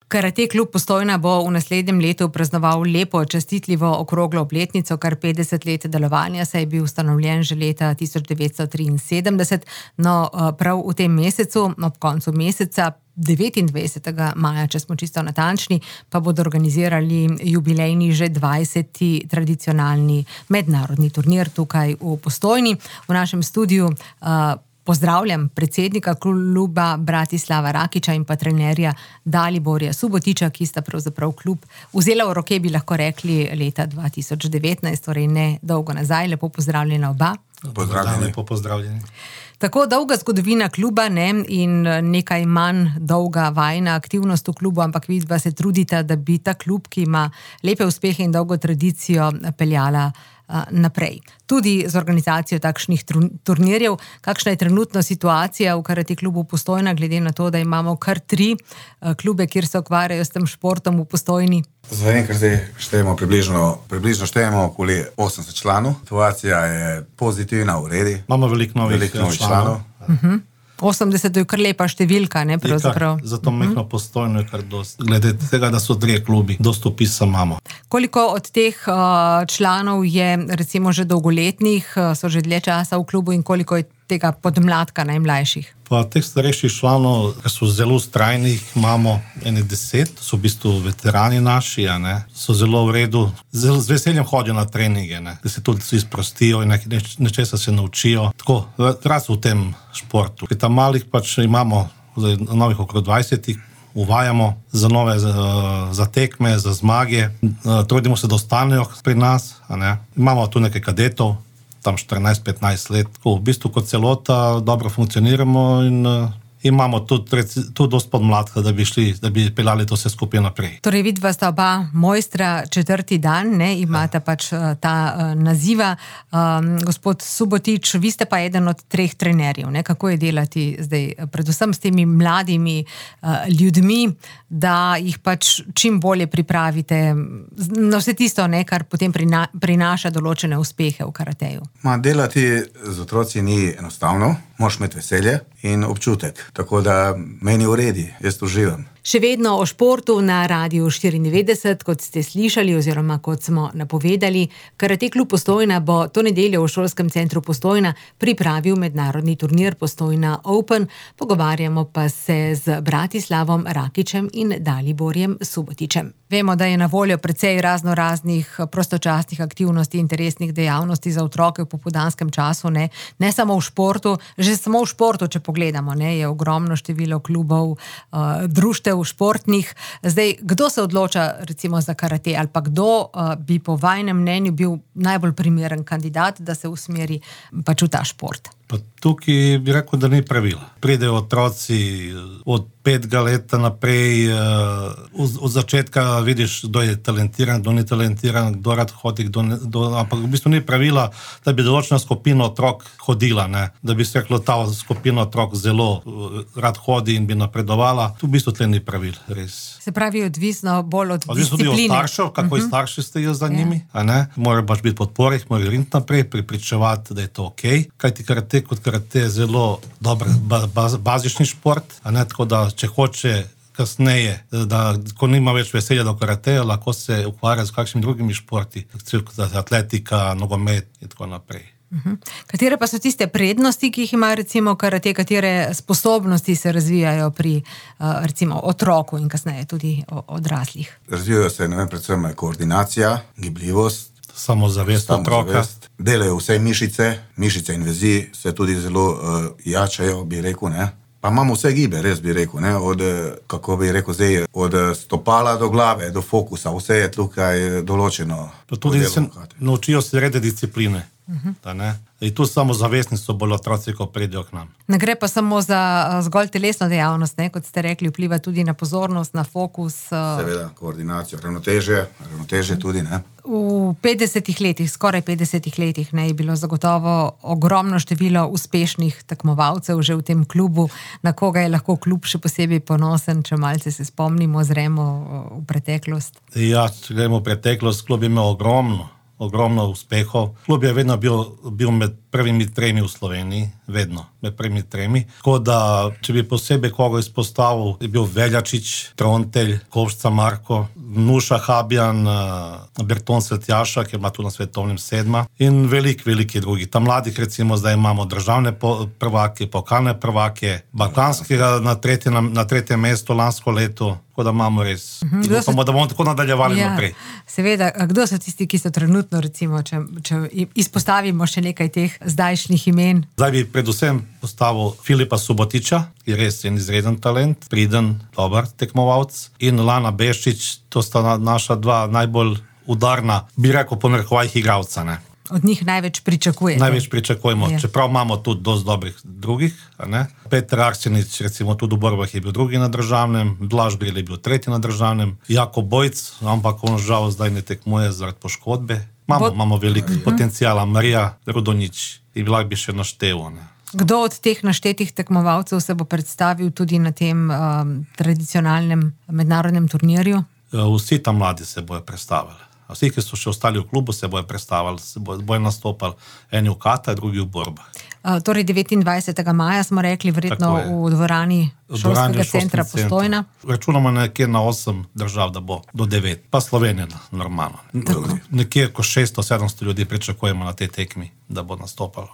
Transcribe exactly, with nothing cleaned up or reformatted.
Karate klub Postojna bo v naslednjem letu praznoval lepo, častitljivo okroglo obletnico, kar petdeset let delovanja, saj je bil ustanovljen že leta tisoč devetsto triinsedemdeset. No, prav v tem mesecu, ob koncu meseca, devetindvajsetega maja, če smo čisto natančni, pa bodo organizirali jubilejni že dvajseti tradicionalni mednarodni turnir tukaj v Postojni. V našem studiu uh, pozdravljam predsednika kluba Bratislava Rakiča in pa trenerja Daliborja Subotiča, ki sta pravzaprav klub vzela v roke, bi lahko rekli, leta dva tisoč devetnajst, torej ne dolgo nazaj. Lepo pozdravljena oba. Pozdravljeni. Lepo pozdravljeni. Tako dolga zgodovina kluba, ne, in nekaj manj dolga vajna aktivnost v klubu, ampak vidva se trudita, da bi ta klub, ki ima lepe uspehe in dolgo tradicijo, peljala naprej. Tudi z organizacijo takšnih turnirjev. Kakšna je trenutno situacija v Karate klubu Postojna, glede na to, da imamo kar tri klube, kjer se ukvarjajo s tem športom v Postojni? Zdaj, ker zdaj štejemo približno, približno štejemo okoli osemdeset članov. Situacija je pozitivna, v redi. Imamo veliko novih, veliko novih članov. Uh-huh. osemdeset je kar lepa številka, ne, pravzaprav. Zato uh-huh. mehno Postojno je kar dost. Glede tega, da so dve klubi, dost upisa imamo. Koliko od teh uh, članov je recimo že dolgoletnih, uh, so že dlje časa v klubu, in koliko je tega podmladka najmlajših? Pa teh starejših članov, ki so zelo ustrajni, imamo ene deset, so v bistvu veterani naši, a ne, so zelo v redu, zelo z veseljem hodijo na treninge, ne, da se tudi izprostijo in nečesa se naučijo, tako, raz v tem športu. Pri tam malih pač imamo novih okrog dvajsetih, uvajamo za nove, za, za tekme, za zmage, trudimo se, da ostanejo pri nas, a ne, imamo tu nekaj kadetov, tam štirinajst petnajst let, v bistvu kot celota dobro funkcioniramo in uh, imamo tudi, tudi dost podmladka, da bi šli, da bi peljali to vse skupaj naprej. Torej vidva sta oba mojstra četrti dan, ne, imata pač ta uh, naziva. Um, gospod Subotič, vi ste pa eden od treh trenerjev, ne, kako je delati zdaj predvsem s temi mladimi uh, ljudmi, da jih pač čim bolje pripravite na vse tisto, ne, kar potem prina, prinaša določene uspehe v karateju. Ma, delati z otroci ni enostavno, moraš imeti veselje in občutek, tako da meni v redi, jaz uživam. Še vedno o športu na Radiu štiriindevetdeset, kot ste slišali oziroma kot smo napovedali. Karate klub Postojna bo to nedeljo v šolskem centru Postojna pripravil mednarodni turnir Postojna Open. Pogovarjamo pa se z Bratislavom Rakičem in Daliborjem Subotičem. Vemo, da je na voljo precej razno raznih prostočasnih aktivnosti, interesnih dejavnosti za otroke v popoldanskem času, ne, ne samo v športu, že samo v športu, če pogledamo, ne, je ogromno število klubov, uh, društev športnih. Zdaj, kdo se odloča recimo za karate, ali pa kdo uh, bi po vajnem mnenju bil najbolj primeren kandidat, da se usmeri pač v ta šport? Pa tukaj bi rekel, da ni pravila. Pridejo otroci od petega leta naprej, od, od začetka vidiš, kdo je talentiran, kdo ni talentiran, kdo rad hodi, kdo ne, kdo, ampak v bistvu ni pravila, da bi določena skupina otrok hodila, ne? Da bi se reklo, ta skupina otrok zelo rad hodi in bi napredovala. Tu v bistvu tle ni pravil, res. Se pravi, odvisno bolj od odvisno discipline. Odvisno tudi od staršev, kako uh-huh. starši stojijo za njimi, a ne? Morajo baš biti podpore, jih morajo riniti naprej, pripričevati, da je to okej. Okay. Kajti karate kot karate je zelo dober baz, bazični šport, a ne, tako da če hoče kasneje, da ko nima več veselja do karateja, lahko se ukvarja z kakšnimi drugimi športi, atletika, nogomet in tako naprej. Uh-huh. Katere pa so tiste prednosti, ki jih ima recimo karate, katere sposobnosti se razvijajo pri uh, recimo otroku in kasneje tudi odraslih? Razvijajo se, ne vem, predvsem koordinacija, gibljivost, samozavest otroka. Delajo vse mišice, mišice in vezi se tudi zelo uh, jačajo, bi rekel, ne. Pa imamo vse gibe, res bi rekel, ne, od, kako bi rekel zdaj, od stopala do glave, do fokusa, vse je tukaj določeno. Pa tudi se naučijo se rede discipline. Uh-huh. Da, ne? In tu samozavestni so bolj otroci, ko pridejo k nam. Ne gre pa samo za zgolj telesno dejavnost, ne? Kot ste rekli, vpliva tudi na pozornost, na fokus. Seveda, koordinacijo, ravnotežje, ravnotežje tudi, ne. V petdesetih letih, skoraj petdesetih letih, ne, je bilo zagotovo ogromno število uspešnih tekmovalcev že v tem klubu, na koga je lahko klub še posebej ponosen, če malce se spomnimo, zremo v preteklost. Ja, če gremo v preteklost, klub je imel ogromno ogromno uspehov. Klub je vedno bil, bil med prvimi tremi v Sloveniji, vedno med prvimi tremi. Tako da, če bi posebej koga izpostavil, je bil Veljačič, Trontelj, Kovšca Marko, Nuša Habjan, Berton Svetjaša, ki ima tu na svetovnem sedma in velik, veliki drugi. Tam mladih recimo zdaj imamo državne prvake, pokalne prvake, balkanskega na tretje, na, na tretje mesto lansko leto. Tako da imamo res, uh-huh. se... da bomo tako nadaljevali ja, naprej. Seveda, kdo so tisti, ki so trenutno, recimo, če, če izpostavimo še nekaj teh zdajšnjih imen? Zdaj bi predvsem postavil Filipa Subotiča, ki je res en izreden talent, priden, dober tekmovalc, in Lana Beščič, to sta naša dva najbolj udarna, bi rekel po narekovajih igralca, ne. Od njih največ pričakujete. Največ pričakujemo, je. Čeprav imamo tudi dosti dobrih drugih. Ne? Peter Arsenič, recimo tudi v borbah je bil drugi na državnem, Blaž Bril je bil tretji na državnem, Jakob Bojc, ampak on žal zdaj ne tekmuje zaradi poškodbe. Imamo, Bo... imamo veliko uh-huh. potencijala, Marija Rudonič in lahko bi še naštevo. Ne? Kdo od teh naštetih tekmovalcev se bo predstavil tudi na tem um, tradicionalnem mednarodnem turnirju? Vsi tam mladi se bojo predstavili. Vsi, ki so še ostali v klubu, se bojo predstavili, se bojo, bojo nastopali eni v kata, drugi v borba. Uh, torej devetindvajsetega maja smo rekli, verjetno v dvorani šolskega centra Postojna. Računamo nekje na osem držav, da bo do devet, pa Slovenija normalno. Nekje ko šeststo sedemsto ljudi pričakujemo na tej tekmi, da bo nastopalo.